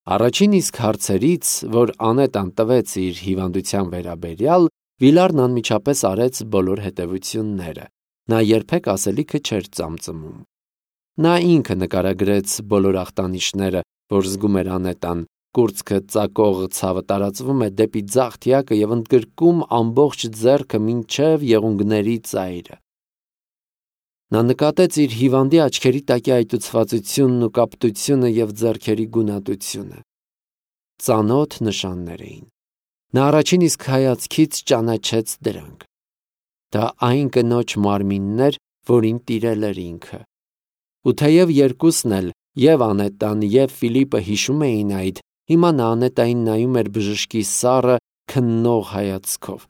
Առաջին իսկ հարցերից, որ Անետան տվեց իր հիվանդության վերաբերյալ, Վիլարն անմիջապես արեց բոլոր հետևությունները. նա երբեք ասելիքը չէր ծամծմում։ Նա ինքը նկարագրեց բոլոր ախտանիշները, որ զգում էր Անետան, կուրծքը ծակող ցավը տարածվում է դեպի ձախ թիակը և ընդգրկում ամբողջ ձեռքը մինչև եղունգների ծայրը։ Նա նկատեց իր հիվանդի աչքերի տակի այտուցվածությունն ու կապտությունը և ձեռքերի գունատությունը։ Ծանոթ նշաններ էին։ Նա առաջին իսկ հայացքից ճանաչեց դրանք։ Դա այն կնոջ մարմինն էր, որին տիրել էր ինքը։ Ու թեև երկուսն էլ, և Անետան, և Ֆիլիպը հիշում էին այդ, հիմա նա Անետային նայում էր բժշկի սառը, քննող հայացքով։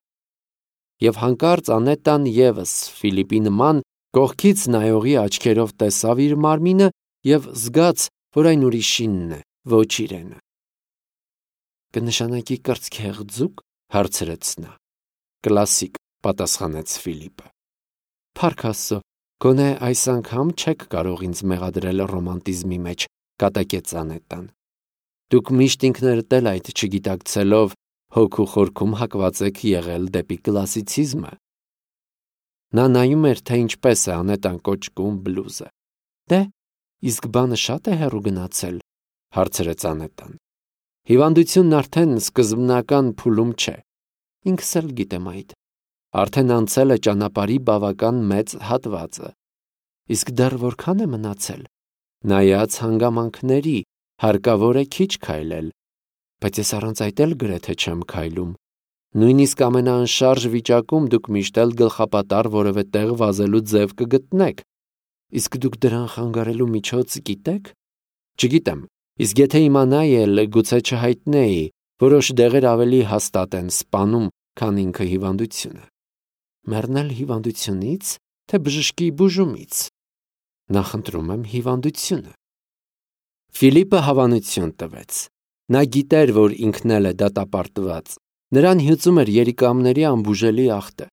Եվ հանկարծ Անետան ևս Ֆիլիպի նման կողքից նայողի աչքերով տեսավ իր մարմինը և զգաց, որ այն ուրիշինն է, ոչ իրենը։ «Կնշանակի կրծքեղձու՞կ», հարցրեց նա։ «Կլասիկ», պատասխանեց Ֆիլիպը։ «Փառք Աստծո, գոնե այս անգամ չեք կարող ինձ մեղադրել ռոմանտիզմի մեջ», կատակեց Անետան։ «Դուք միշտ ինքներդ էլ այդ չգիտակցելով հոգու խորքում հակված եք եղել դեպի կլասիցիզմը»։ Նա նայում էր, թե ինչպես է Անետան կոճկում բլուզը։ «Դե, իսկ բանը շատ է հեռու գնացել», հարցրեց Անետան։ «Հիվանդությունն արդեն սկզբնական փուլում չէ։ Ինքս էլ գիտեմ այդ։ Արդեն անցել է ճանապարհի բավական մեծ հատվածը։ Իսկ դեռ որքան է մնացել։ Նայած հանգամանքների, հարկավոր է քիչ քայլել։ Բայց ես առանց այդ էլ գրեթե չեմ քայլում։ Նույնիսկ ամենաանշարժ վիճակում դուք միշտ էլ գլխապատառ որևէ տեղ վազելու ձև կգտնեք։ Իսկ դուք դրան խանգարելու միջոց գիտեք։ Չգիտեմ, իսկ եթե իմանայի էլ, գուցե չհայտնեի, որոշ դեղեր ավելի հաստատ են սպանում, քան ինքը հիվանդությունը։ Մեռնել հիվանդությունի՞ց, թե բժշկի բուժումից։ Նախընտրում եմ հիվանդությունը։ Ֆիլիպը հավանություն տվեց։ Նա գիտեր, որ ինքն էլ է դատապարտված։ Նրան հյուծում էր երիկամների անբուժելի ախտը։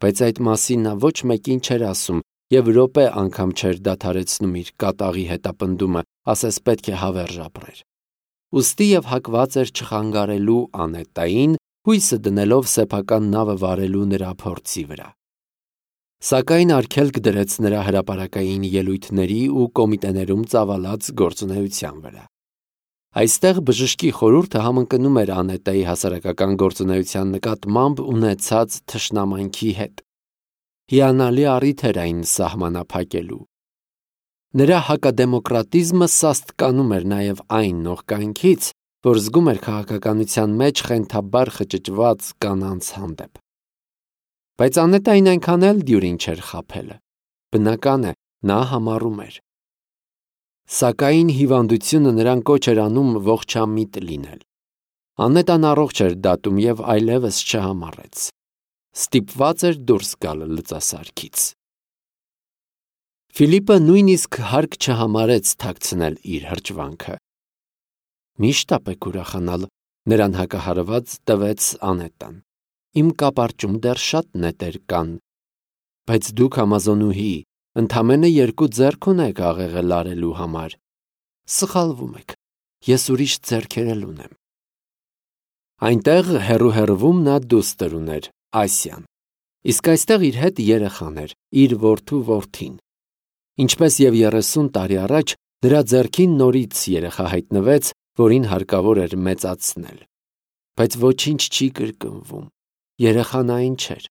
Բայց այդ մասին նա ոչ մեկին չէր ասում և րոպե անգամ չէր դադարեցնում իր կատաղի հետապնդումը, ասես պետք է հավերժ ապրեր։ Ուստի և հակված էր չխանգարելու Անետային, հույսը դնելով սեփական նավը վարելու նրա փորձի վրա։ Սակայն արգելք դրեց նրա հրապարակային ելույթների ու կոմիտեներում ծավալած գործունեության վրա։ Այստեղ բժշկի խորհուրդը համընկնում էր Անետայի հասարակական գործունեության նկատմամբ ունեցած թշնամանքի հետ։ Հիանալի առիթ էր այն սահմանափակելու։ Նրա հակադեմոկրատիզմը սաստկանում էր նաև այն նողկանքից, որ զգում էր քաղաքականության մեջ խենթաբար խճճված կանանց հանդեպ։ Բայց Անետային այնքան էլ դյուրին չէր խաբելը։ Բնական է, նա համառում էր։ Սակայն հիվանդությունը նրան կոչ էր անում ողջամիտ լինել։ Անետան առողջ էր դատում և այլևս չհամառեց։ Ստիպված էր դուրս գալ լծասարքից։ Ֆիլիպը նույնիսկ հարկ չհամարեց թաքցնել իր հրճվանքը։ Միշտ ապեք ուրախանալ, նրան հակահարված տվեց Անետան։ Իմ կապարճում դեռ շատ նետեր կան։ Բայց դուք Ամազոնուհի, ընդամենը 2 ձեռք ունեք աղեղը լարելու համար։ Սխալվում եք, ես ուրիշ ձեռքեր էլ ունեմ։ Այնտեղ հեռու-հեռվում նա դուստր ուներ, Ասիան։ Իսկ այստեղ իր հետ երեխան էր, իր որդու որդին։ Ինչպես և 30 տարի առաջ, նրա ձեռքին նորից երեխա հայտնվեց, որին հարկավոր էր մեծացնել։ Բայց ոչինչ չի կրկնվում։ Երեխան այն չէր։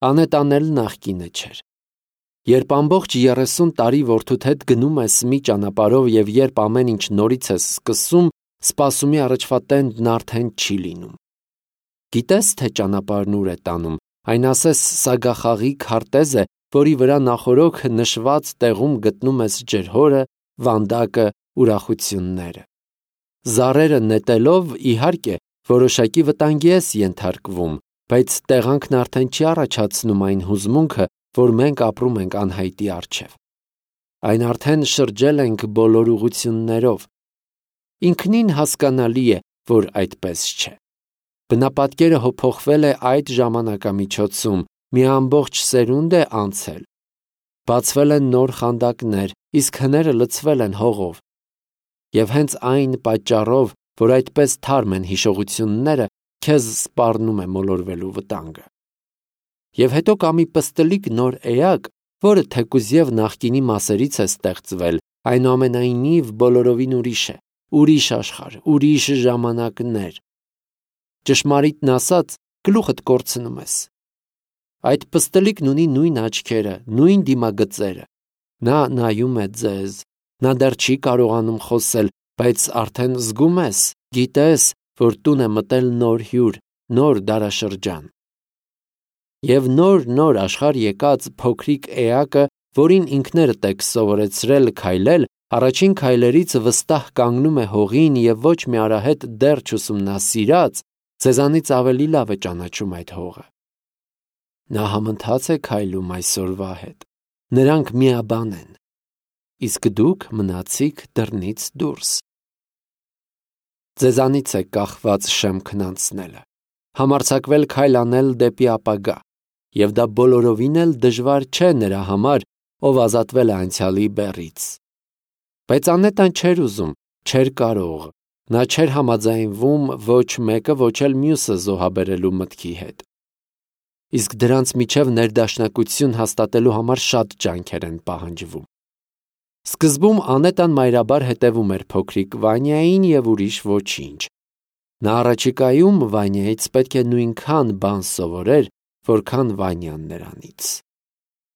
Անետան էլ նախկինը չէր։ Երբ ամբողջ 30 տարի որդուդ հետ գնում ես մի ճանապարհով և երբ ամեն ինչ նորից ես սկսում, սպասումի առաջվա տենդն արդեն չի լինում։ Գիտես, թե ճանապարհն ուր է տանում, այն ասես սագախաղի քարտեզ է, որի վրա նախօրոք նշված տեղում գտնում ես ջրհորը, վանդակը, ուրախությունները։ Զառերը նետելով, իհարկե, որոշակի վտանգի ես ենթարկվում, բայց տեղանքն արդեն չի առաջացնում այն հուզմունքը, որ մենք ապրում ենք անհայտի առջև։ Այն արդեն շրջել ենք բոլոր ուղղություններով։ Ինքնին հասկանալի է, որ այդպես չէ։ Բնապատկերը փոխվել է այդ ժամանակամիջոցում, մի ամբողջ սերունդ է անցել։ Բացվել են նոր խանդակներ, իսկ հները լցվել են հողով։ Եվ հենց այն պատճառով, որ այդպես թարմ են հիշողությունները, քեզ սպառնում է մոլորվելու վտանգը։ Եվ հետո կա մի պստլիկ նոր էակ, որը թեկուզ եւ նախկինի մասերից է ստեղծվել, այնուամենայնիվ բոլորովին ուրիշ է, ուրիշ աշխարհ, ուրիշ ժամանակներ։ Ճշմարիտն ասած, գլուխդ կորցնում ես։ Այդ պստլիկն ունի նույն աչքերը, նույն դիմագծերը։ Նա նայում է ձեզ, նա դեռ չի կարողանում խոսել, բայց արդեն զգում ես, գիտես, որ տուն է մտել նոր հյուր, նոր դարաշրջան։ Եվ նոր աշխարհ եկած փոքրիկ էակը, որին ինքներդ եք սովորեցրել քայլել, առաջին քայլերից վստահ կանգնում է հողին եւ ոչ մի արահետ դեռ չուսումնասիրած, ձեզանից ավելի լավ է ճանաչում այդ հողը։ Նա համընթաց է քայլում այսօրվա հետ։ Նրանք միաբան են, իսկ դուք մնացիք դռնից դուրս։ Ձեզանից է կախված շեմքն անցնելը, համարձակվել քայլ անել դեպի ապագա, եւ դա բոլորովին էլ դժվար չէ նրա համար, ով ազատվել է անցյալի բեռից։ Բայց Անետան չէր ուզում, չէր կարող, նա չէր համաձայնվում ոչ մեկը, ոչ էլ մյուսը զոհաբերելու մտքի հետ։ Իսկ դրանց միջև ներդաշնակություն հաստատելու համար շատ ջանքեր են պահանջվում։ Սկզբում Անետան մայրաբար հետևում էր փոքրիկ Վանյային եւ ուրիշ ոչինչ։ Նա առաջիկայում Վանյայից պետք է նույնքան բան սովորեր, որքան Վանյան նրանից։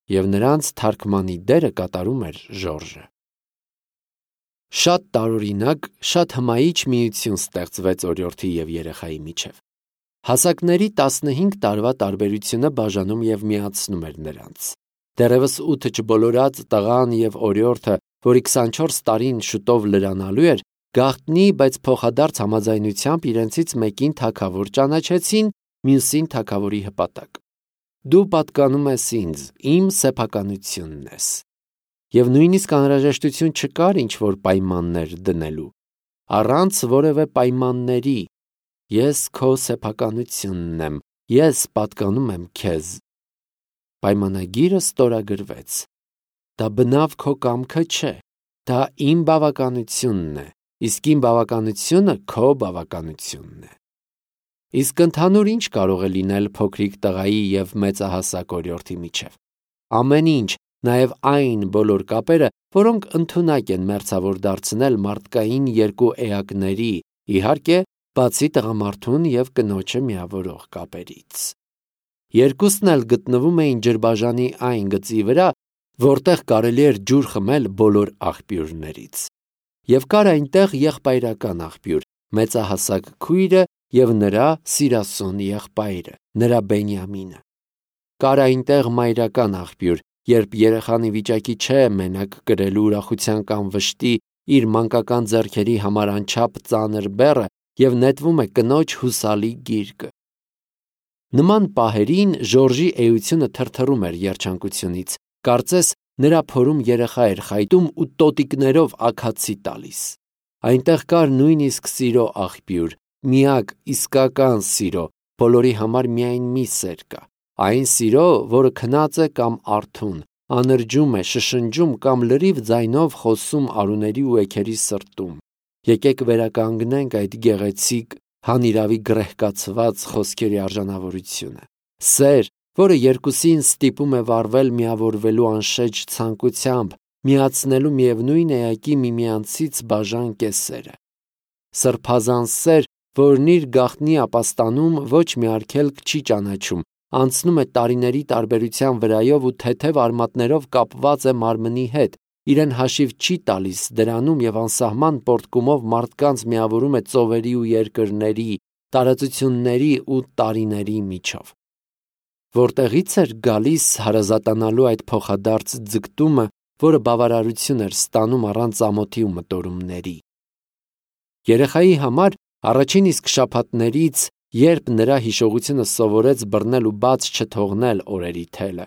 Եվ նրանց թարգմանի դերը կատարում էր Ժորժը։ Շատ տարօրինակ, շատ հմայիչ միություն ստեղծվեց օրիորդի եւ երեխայի միջև։ Հասակների 15 տարվա տարբերությունը բաժանում եւ միացնում էր նրանց։ Դեռևս 8 չբոլորած տղան եւ օրիորդը, որի 24 տարին շուտով լրանալու էր, գաղտնի, բայց փոխադարձ համաձայնությամբ իրենցից մեկին թագավոր ճանաչեցին, մյուսին թագավորի հպատակ։ Դու պատկանում ես ինձ, իմ սեփականությունն ես։ Եվ նույնիսկ անհրաժեշտություն չկար ինչ-որ պայմաններ դնելու։ Առանց որևէ պայմանների, ես քո սեփականությունն եմ, ես պատկանում եմ քեզ։ Պայմանագիրը ստորագրվեց։ Դա բնավ քո կամքը չէ, դա իմ բավականությունն է, իսկ իմ բավականությունը քո բավականությունն է։ Իսկ ընդհանուր ինչ կարող է լինել փոքրիկ տղայի եւ մեծահասակ օրիորդի միջև։ Ամեն ինչ, նաեւ այն բոլոր կապերը, որոնք ընդունակ են մերձավոր դարձնել մարդկային երկու էակների, իհարկե, բացի տղամարդուն եւ կնոջը միավորող կապերից։ Երկուսն էլ գտնվում էին ջրբաժանի այն գծի վրա, որտեղ կարելի էր ջուր խմել բոլոր աղբյուրներից։ Եվ կար այնտեղ եղբայրական աղբյուր, մեծահասակ քույրը եւ նրա սիրասուն եղբայրը, նրա Բենյամինը։ Կար այնտեղ մայրական աղբյուր, երբ երեխան ի վիճակի չէ մենակ կրելու ուրախության կամ վշտի իր մանկական ձեռքերի համար անչափ ծանր բեռը եւ նետվում է կնոջ հուսալի գիրկը։ Նման պահերին Ժորժի էությունը թրթռում էր երջանկությունից, կարծես նրա փորում երեխա էր խայտում ու տոտիկներով աքացի տալիս։ Այնտեղ կար նույնիսկ սիրո աղբյուր, միակ իսկական սիրո, բոլորի համար միայն մի սեր կա, այն սիրո, որը քնած է կամ արթուն, անրջում է, շշնջում կամ լրիվ ձայնով խոսում արուների ու էգերի սրտում։ Եկեք վերականգնենք այդ գեղեցիկ, հանիրավի գրեհկացված խոսքերի արժանավորությունը։ Սեր, որը երկուսին ստիպում է վառվել միավորվելու անշեջ ցանկությամբ, միացնելու միևնույն էակի միմյանցից բաժան կեսերը։ Սրբազան սեր, որն իր գաղտնի ապաստանում ոչ մի արգելք չի ճանաչում, անցնում է տարիների տարբերության վրայով ու թեթև արմատներով կապված է մարմնի հետ, իրեն հաշիվ չի տալիս դրանում եւ անսահման պոռթկումով մարդկանց միավորում է ծովերի ու երկրների, տարածությունների ու տարիների միջով։ Որտեղից էր գալիս հարազատանալու այդ փոխադարձ ձգտումը, որը բավարարություն էր ստանում առանց ամոթի ու մտորումների։ Երեխայի համար առաջին իսկ շաբաթներից, երբ նրա հիշողությունը սովորեց բռնել ու բաց չթողնել օրերի թելը,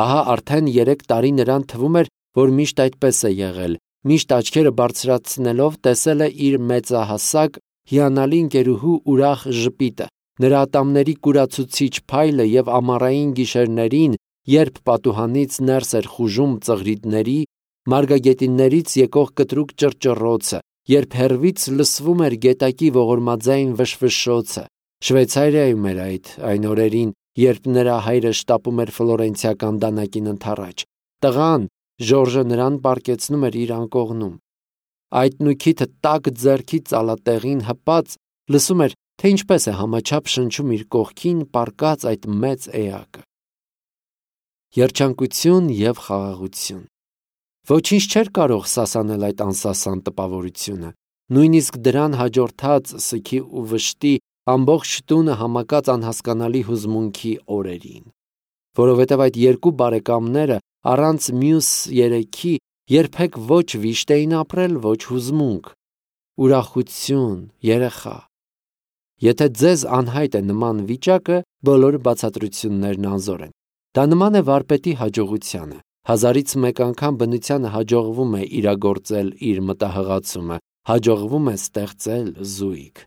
ահա արդեն 3 տարի նրան թվում էր, որ միշտ այդպես է եղել, միշտ աչքերը բարձրացնելով տեսել է իր մեծահասակ, հիանալի ընկերուհու ուրախ ժպիտը, նրա ատամների կուրացուցիչ փայլը եւ ամառային գիշերներին, երբ պատուհանից ներս էր խուժում ծղրիդների, մարգագետիններից եկող կտրուկ ճռճռոցը երբ հեռվից լսվում էր գետակի ողորմածային վշվշոցը։ Շվեյցարիայում էր այն օրերին, երբ նրա հայրը շտապում էր ֆլորենցիական դանակին ընդառաջ։ Տղան, Ժորժը, նրան պառկեցնում էր իր անկողնում։ Այդ նույքիթը տաք ձեռքի ծալատեղին հպած լսում էր, թե ինչպես է համաչափ շնչում իր կողքին պառկած այդ մեծ էակը։ Երջանկություն և խաղաղություն։ Ոչինչ չէր կարող սասանել այդ անսասան տպավորությունը։ Նույնիսկ դրան հաջորդած սգի ու վշտի ամբողջ տունը համակած անհասկանալի հուզմունքի օրերին։ Որովհետև այդ երկու բարեկամները առանց մյուս երեքի երբեք ոչ վիշտ էին ապրել, ոչ հուզմունք, ուրախություն, երեխա։ Եթե ձեզ անհայտ է նման վիճակը, բոլոր բացատրություններն անզոր են։ Դա նման է վարպետի հաջողությանը։ Հազարից մեկ անգամ բնությանը հաջողվում է իրագործել իր մտահղացումը, հաջողվում է ստեղծել զույգ։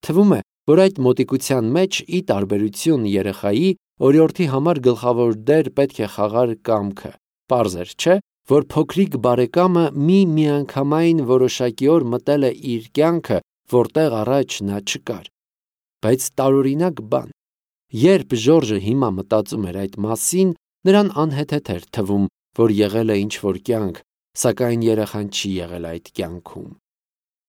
Թվում է, որ այդ մոտիկության մեջ, ի տարբերություն երեխայի, օրիորդի համար գլխավոր դեր պետք է խաղար կամքը։ Պարզ էր, չէ՞, որ փոքրիկ բարեկամը մի միանգամայն որոշակի օր մտել է իր կյանքը, որտեղ առաջ նա չկար։ Բայց տարօրինակ բան։ Երբ Ժորժը հիմա մտածում էր այդ մասին, նրան անհեթեթ էր թվում, որ եղել է ինչ-որ կյանք, սակայն երեխան չի եղել այդ կյանքում։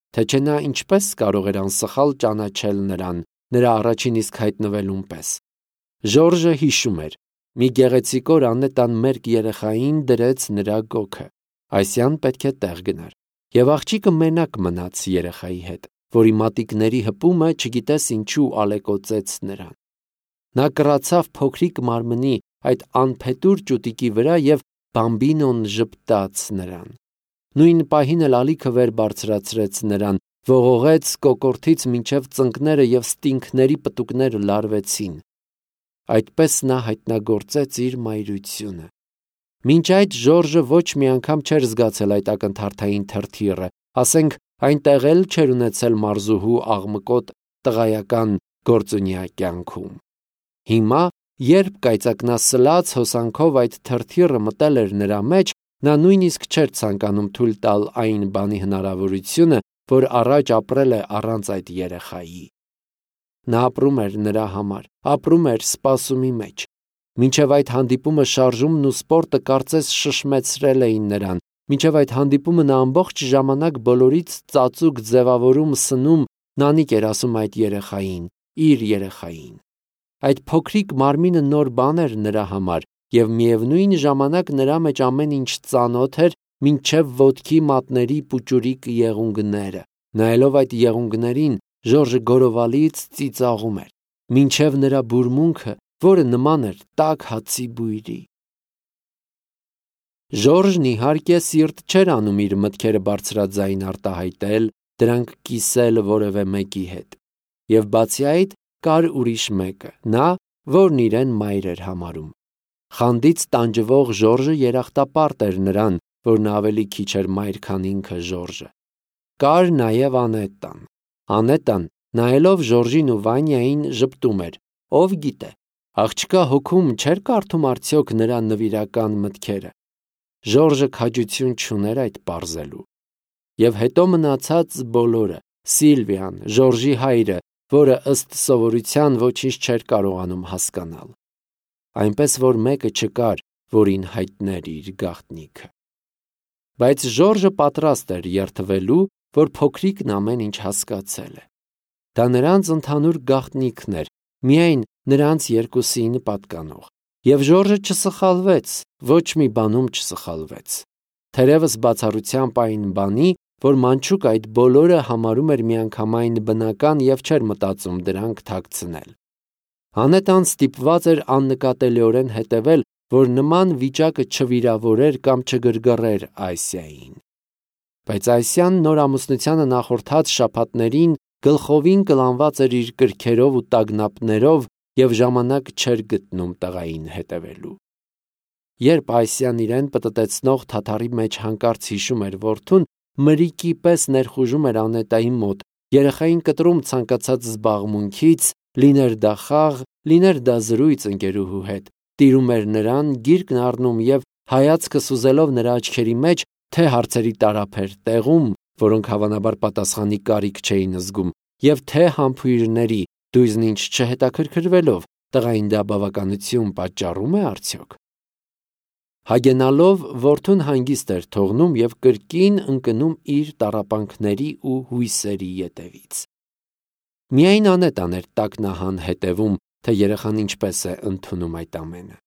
Թե չէ նա ինչպես կարող էր անսխալ ճանաչել նրան, նրա առաջին իսկ հայտնվելուն պես։ Ժորժը հիշում էր, մի գեղեցիկ օր Անետան մերկ երեխային դրեց նրա գոգը։ Այսյան պետք է տեղ գնար։ Եվ աղջիկը մենակ մնաց երեխայի հետ, որի մատիկների հպումը չգիտես ինչու ալեկոծեց նրան։ Նա կռացավ փոքրիկ մարմնի այդ անփետուր ճուտիկի վրա և բամբինոն ժպտաց նրան։ Նույն պահին էլ ալիքը վեր բարձրացրեց նրան, ողողեց կոկորդից մինչև ծնկները և ստինքների պտուկները լարվեցին։ Այդպես նա հայտնագործեց իր մայրությունը։ Մինչ այդ Ժորժը ոչ մի անգամ չէր զգացել այդ ակնթարթային թրթիռը, ասենք այնտեղ էլ չէր ունեցել մարզուհու աղմկոտ տղայական գործունյա կյանքում։ Հիմա, երբ կայծակնասլաց հոսանքով այդ թրթիռը մտել էր նրա մեջ, նա նույնիսկ չէր ցանկանում թույլ տալ այն բանի հնարավորությունը, որ առաջ ապրել է առանց այդ երեխայի։ Նա ապրում էր նրա համար, ապրում էր սպասումի մեջ։ Մինչև այդ հանդիպումը շարժումն ու սպորտը կարծես շշմեցրել էին նրան, մինչև այդ հանդիպումը նա ամբողջ ժամանակ բոլորից ծածուկ ձևավորում սնում նանիք էր ասում այդ երեխային, իր երեխային։ Այդ փոքրիկ մարմինը նոր բան էր նրա համար, և միևնույն ժամանակ նրա մեջ ամեն ինչ ծանոթ էր, մինչև ոտքի մատների պուճուրիկ եղունգները։ Նայելով այդ եղունգներին, Ժորժը գորովալից ծիծաղում էր, մինչև նրա բուրմունքը, որը նման էր տաք հացի բույրի։ Ժորժն իհարկե սիրտ չէր անում իր մտքերը բարձրաձայն արտահայտել, դրանք կիսել որևէ մեկի հետ։ Եվ բացի այդ, կար ուրիշ մեկը, նա, որն իրեն մայր էր համարում։ Խանդից տանջվող Ժորժը երախտապարտ էր նրան, որ նա ավելի քիչ էր մայր, քան ինքը Ժորժը։ Կար նաև Անետան։ Անետան, նայելով Ժորժին ու Վանյային, ժպտում էր. ով գիտե, աղջկա հոգում չէր կարդում արդյոք նրա նվիրական մտքերը։ Ժորժը քաջություն չուներ այդ պարզելու։ Եվ հետո մնացած բոլորը, Սիլվիան, Ժորժի հայրը, որը ըստ սովորության ոչինչ չէր կարողանում հասկանալ։ Այնպես որ մեկը չկար, որին հայտներ իր գաղտնիքը։ Բայց Ժորժը պատրաստ էր երդվելու, որ փոքրիկն ամեն ինչ հասկացել է։ Դա նրանց ընդհանուր գաղտնիքն էր, միայն նրանց երկուսին պատկանող։ Եվ Ժորժը չսխալվեց, ոչ մի բանում չսխալվեց։ Թերևս բացառությամբ այն բանի, որ մանչուկ այդ բոլորը համարում էր միանգամայն բնական և չէր մտածում դրանք թաքցնել։ Անետան ստիպված էր աննկատելիորեն հետևել, որ նման վիճակը չվիրավորեր կամ չգրգռեր Այսիային։ Բայց Այսիան նոր ամուսնությանը նախորդած շաբաթներին գլխովին կլանված էր իր կրքերով ու տագնապներով և ժամանակ չէր գտնում տղային հետևելու։ Երբ Այսիան իրեն պտտեցնող թաթարի մեջ հանկարծ հիշում էր որդուն, մրիկի պես ներխուժում էր Անետայի մոտ, երեխային կտրում ցանկացած զբաղմունքից, լիներ դա խաղ, լիներ դա զրույց ընկերուհու հետ, տիրում էր նրան, գիրկն առնում և հայացքը սուզելով նրա աչքերի մեջ, թե հարցերի տարափ էր տեղում, որոնք հավանաբար պատասխանի կարիք չէին զգում, եւ թե համբույրների դույզն ինչ չհետաքրքրվելով տղային դա բավականություն պատճառում է արդյոք։ Հագենալով որդուն հանգիստ էր թողնում եւ կրկին ընկնում իր տառապանքների ու հույսերի ետևից։ Միայն Անետան էր տակնահան հետևում, թե երեխան ինչպես է ընդունում այդ ամենը։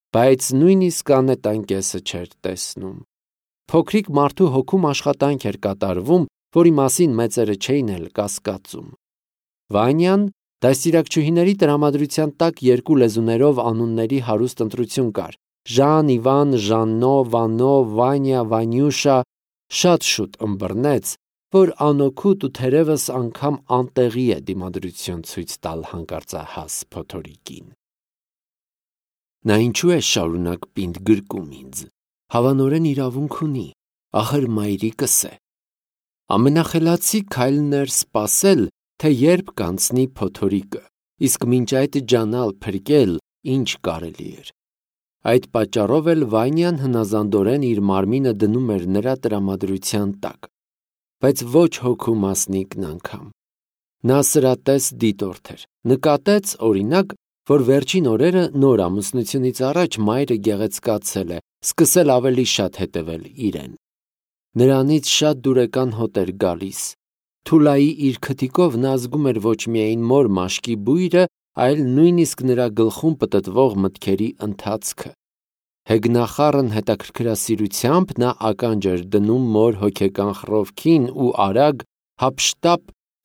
Բայց նույնիսկ Անետան կեսը չէր տեսնում։ Փոքրիկ մարդու հոգում աշխատանք էր կատարվում, որի մասին մեծերը չէին էլ կասկածում։ Վանյան դաստիարակչուհիների տրամադրության տակ երկու լեզուներով անունների հարուստ ընտրություն կար. Ժան, Իվան, Ժաննո, Վանո, Վանյա, Վանյուշա, շատ շուտ ըմբռնեց, որ անօգուտ ու թերևս անգամ անտեղի է դիմադրություն ցույց տալ հանկարծահաս փոթորիկին։ Նա ինչու է շարունակ պինդ գրկում ինձ, հավանորեն իրավունք ունի, ախր մայրիկս է։ Ամենախելացի քայլն էր սպասել, թե երբ կանցնի փոթորիկը, իսկ մինչ այդ ջանալ փրկել, ինչ կարելի էր։ Այդ պատճառով էլ Վանյան հնազանդորեն իր մարմինը դնում էր նրա տրամադրության տակ, բայց ոչ հոգու մասնիկն անգամ։ Նա սրատես դիտորդ էր, նկատեց, օրինակ, որ վերջին օրերը նոր ամուսնությունից առաջ մայրը գեղեցկացել է, սկսել ավելի շատ հետևել իրեն։ Նրանից շատ դուրեկան հոտ էր գալիս։ Թուլայի իր քթիկով նա զգում էր ոչ միայն մոր մաշկի բույրը, այլ նույնիսկ նրա գլխում պտտվող մտքերի ընթացքը։ Հեգնախառն հետաքրքրասիրությամբ նա ականջ էր դնում մոր հոգեկան խռովքին ու արագ, հափշտապ,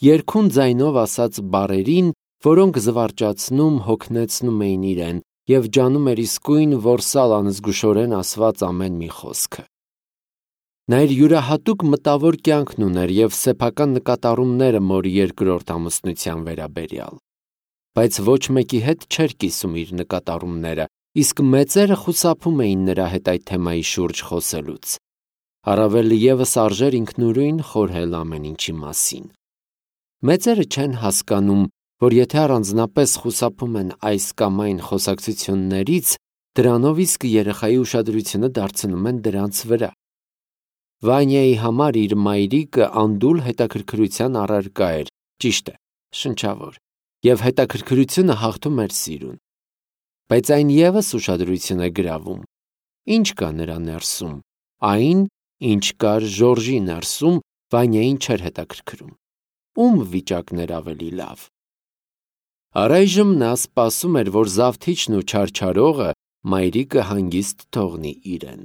երգուն ձայնով ասած բառերին, որոնք զվարճացնում, հոգնեցնում էին իրեն և ջանում էր իսկույն որսալ անզգուշորեն ասված ամեն մի խոսքը։ Նա իր յուրահատուկ մտավոր կյանքն ուներ և սեփական նկատառումները մոր երկրորդ ամուսնության վերաբերյալ։ Բայց ոչ մեկի հետ չէր կիսում իր նկատառումները, իսկ մեծերը խուսափում էին նրա հետ այդ թեմայի շուրջ խոսելուց։ Առավել ևս արժեր ինքնուրույն խորհել ամեն ինչի մասին։ Մեծերը չեն հասկանում, որ եթե առանձնապես խուսափում են այս կամ այն խոսակցություններից, դրանով իսկ երեխայի ուշադրությունը դարձնում են դրանց վրա։ Վանյայի համար իր մայրիկը անդուլ հետաքրքրության առարկա էր, ճիշտ է, շնչավոր, և հետաքրքրությունը հաղթում էր սիրուն։ Բայց այն ևս ուշադրություն է գրավում։ Ինչ կա նրա ներսում, այն, ինչ կար Ժորժի ներսում, Վանյային չէր հետաքրքրում։ Ում վիճակն էր ավելի լավ։ Առայժմ նա սպասում էր, որ զավթիչն ու չարչարողը մայրիկը հանգիստ թողնի իրեն։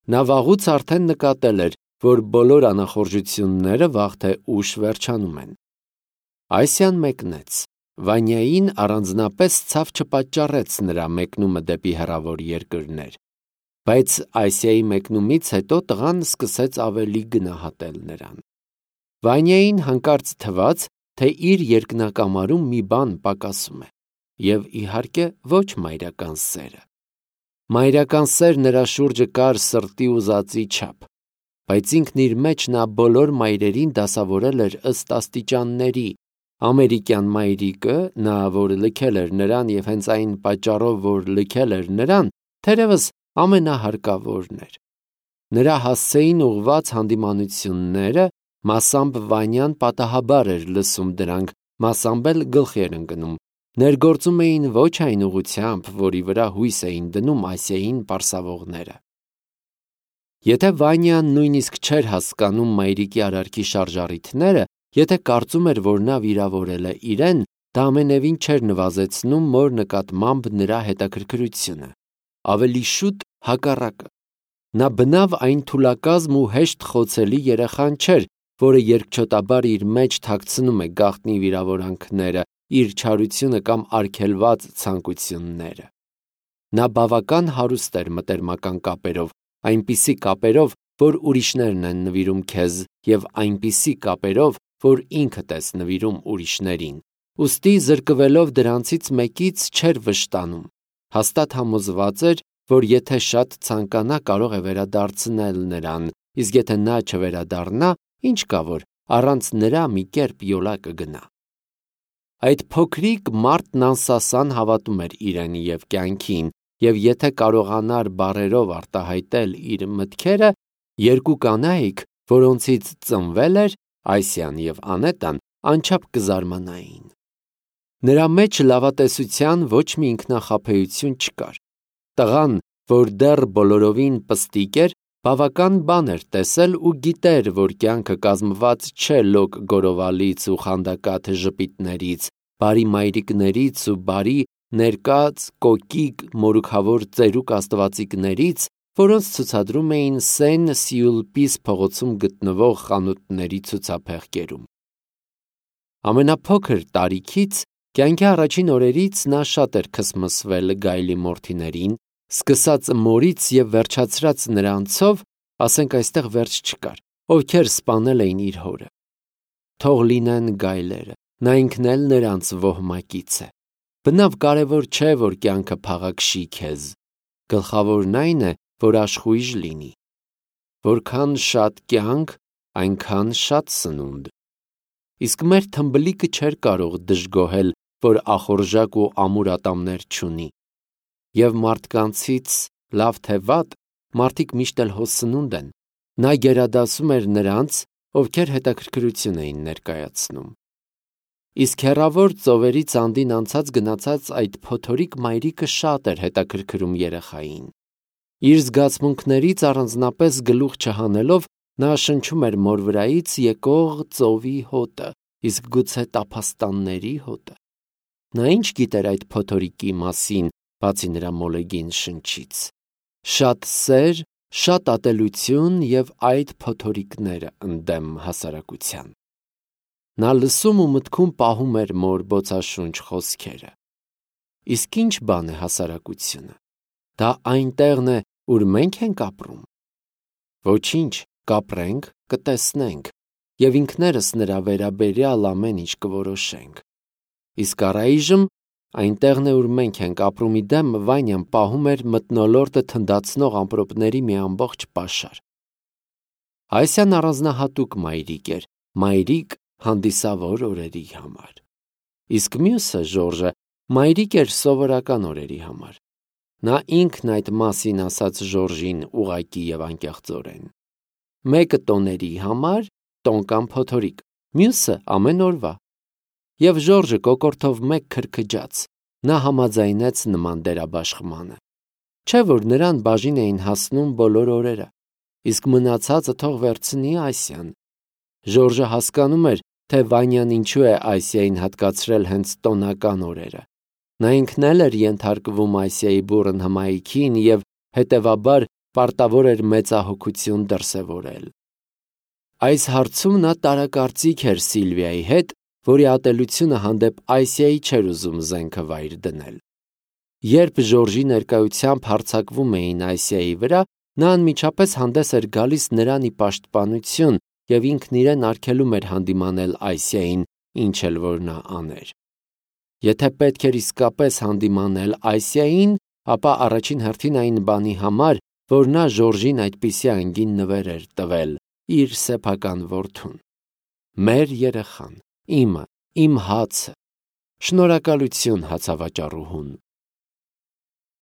Նա վաղուց արդեն նկատել էր, որ բոլոր անախորժությունները վաղ թե ուշ վերջանում են։ Այսյան մեկնեց։ Վանյային առանձնապես ցավ չպատճառեց նրա մեկնումը դեպի հեռավոր երկրներ, բայց Ասիայի մեկնումից հետո տղան սկսեց ավելի գնահատել նրան։ Վանյային հանկարծ թվաց, թե իր երկնակամարում մի բան պակասում է, և իհարկե ոչ մայրական սերը։ Մայրական սեր նրա շուրջը կար սրտի ուզածի չափ, բայց ինքն իր մեջ նա բոլոր մայրերին դասավորել էր ըստ աստիճանների։ Ամերիկյան մայրիկը, նա, որ լքել էր նրան և հենց այն պատճառով, որ լքել էր նրան, թերևս ամենահարկավորն էր։ Նրա հասցեին ուղղված հանդիմանությունները, մասամբ Վանյան պատահաբար էր լսում դրանք, մասամբ էլ գլխի էր ընկնում, ներգործում էին ոչ այն ուղղությամբ, որի վրա հույս էին դնում Ասիային պարսավողները։ Եթե Վանյան նույնիսկ չէր հասկանում մայրիկի արարքի շարժառիթները, եթե կարծում էր, որ նա վիրավորել է իրեն, դա ամենևին չէր նվազեցնում մոր նկատմամբ նրա հետաքրքրությունը։ Ավելի շուտ հակառակը։ Նա բնավ այն թուլակազմ ու հեշտ խոցելի երեխան չէր, որը երկչոտաբար իր մեջ թաքցնում է գաղտնի վիրավորանքները, իր չարությունը կամ արգելված ցանկությունները։ Նա բավական հարուստ էր մտերմական կապերով, այնպիսի կապերով, որ ուրիշներն են նվիրում քեզ, և այնպիսի կապերով, որ ինքդ ես նվիրում ուրիշներին, ուստի զրկվելով դրանցից մեկից չէր վշտանում, հաստատ համոզված էր, որ եթե շատ ցանկանա, կարող է վերադարձնել նրան, իսկ եթե նա չվերադառնա, ինչ կա որ, առանց նրա մի կերպ յոլա կգնա։ Այդ փոքրիկ մարդն անսասան հավատում էր իրեն և կյանքին, և եթե կարողանար բառերով արտահայտել իր մտքերը, երկու կանայք, որոնցից ծնվել էր Այսիան և Անետան, անչափ կզարմանային։ Նրա մեջ լավատեսության ոչ մի ինքնախաբեություն չկար։ Տղան, որ դեռ բոլորովին պստիկ էր, բավական բան էր տեսել ու գիտեր, որ կյանքը կազմված չէ լոկ գորովալից ու խանդակաթ ժպիտներից, բարի մայրիկներից ու բարի ներկած, կոկիկ, մորուքավոր ծերուկ աստվածիկներից, որոնց ցուցադրում էին Սեն Սիուլպիս փողոցում գտնվող խանութների ցուցափեղկերում։ Ամենափոքր տարիքից, կյանքի առաջին օրերից նա շատ էր քսմսվել Գայլի մորթիներին, սկսած մորից և վերջացրած նրանցով, ասենք այստեղ վերջ չկար, ովքեր սպանել էին իր հորը։ Թող լինեն գայլերը, նա ինքն էլ նրանց ոհմակից է։ Բնավ կարևոր չէ, որ կյանքը փաղաքշի քեզ, գլխավորն այն է, որ աշխույժ լինի։ Որքան շատ կյանք, այնքան շատ սնունդ։ Իսկ մեր թմբլիկը չէր կարող դժգոհել, որ ախորժակ ու ամուր ատամներ չունի։ Եվ մարդկանցից, լավ թե վատ, մարդիկ միշտ էլ հո սնունդ են։ Նա գերադասում էր նրանց, ովքեր հետաքրքրություն էին ներկայացնում։ Իսկ հեռավոր ծովերից անդին անցած գնացած այդ փոթորիկ մայրիկը շատ էր հետաքրքրում երեխային։ Իր զգացմունքներից առանձնապես գլուխ չհանելով, նա շնչում էր մոր վրայից եկող ծովի հոտը, իսկ գուցե տափաստանների հոտը։ Նա ինչ գիտեր այդ փոթորիկի մասին, բացի նրա մոլեգին շնչից։ Շատ սեր, շատ ատելություն և այդ փոթորիկները ընդդեմ հասարակության։ Նա լսում ու մտքում պահում էր մոր բոցաշունչ խոսքերը։ Իսկ ինչ բան է հասարակությունը։ Դա այն տեղն է, ուր մենք ենք ապրում։ Ոչինչ, կապրենք, կտեսնենք, և ինքներս նրա վերաբերյալ ամեն ինչ կորոշենք։ Իսկ առայժմ այն տեղն է, ուր մենք ենք ապրում, իդեմ Վանյան պահում էր մթնոլորտը թնդացնող ամպրոպների մի ամբողջ պաշար։ Այսյան առանձնահատուկ մայրիկ էր, մայրիկ հանդիսավոր օրերի համար։ Իսկ մյուսը, Ժորժը, մայրիկ էր սովորական օրերի համար։ Նա ինքն այդ մասին ասաց Ժորժին ուղղակի և անկեղծորեն։ Մեկը տոների համար, տոն կամ փոթորիկ, մյուսը ամեն օրվա։ Եվ Ժորժը կոկորդով մեկ քրքջաց, նա համաձայնեց նման դերաբաշխմանը։ Չէ՞ որ նրան բաժին էին հասնում բոլոր օրերը, իսկ մնացածը թող վերցնի Այսյան։ Ժորժը հասկանում էր, թե Վանյան ինչու է Այսիային հատկացրել հենց տոնական օրերը։ Նա ինքն էլ էր ենթարկվում Այսիայի բուռն հմայքին և, հետևաբար, պարտավոր էր մեծահոգություն դրսևորել։ Այս հարցում նա տարակարծիք էր Սիլվիայի հետ, որի ատելությունը հանդեպ Այսիայի չէր ուզում զենքը վայր դնել։ Երբ Ժորժի ներկայությամբ հարձակվում էին Այսիայի վրա, նա անմիջապես հանդես էր գալիս նրան ի պաշտպանություն և ինքն իրեն արգելում էր հանդիմանել Այսիային, ինչ էլ որ նա աներ։ Եթե պետք էր իսկապես հանդիմանել Այսիային, ապա առաջին հերթին այն բանի համար, որ նա Ժորժին այդպիսի անգին նվեր էր տվել իր սեփական որդուն։ Մեր երեխան, իմը, իմ հացը։ Շնորհակալություն հացավաճառուհուն։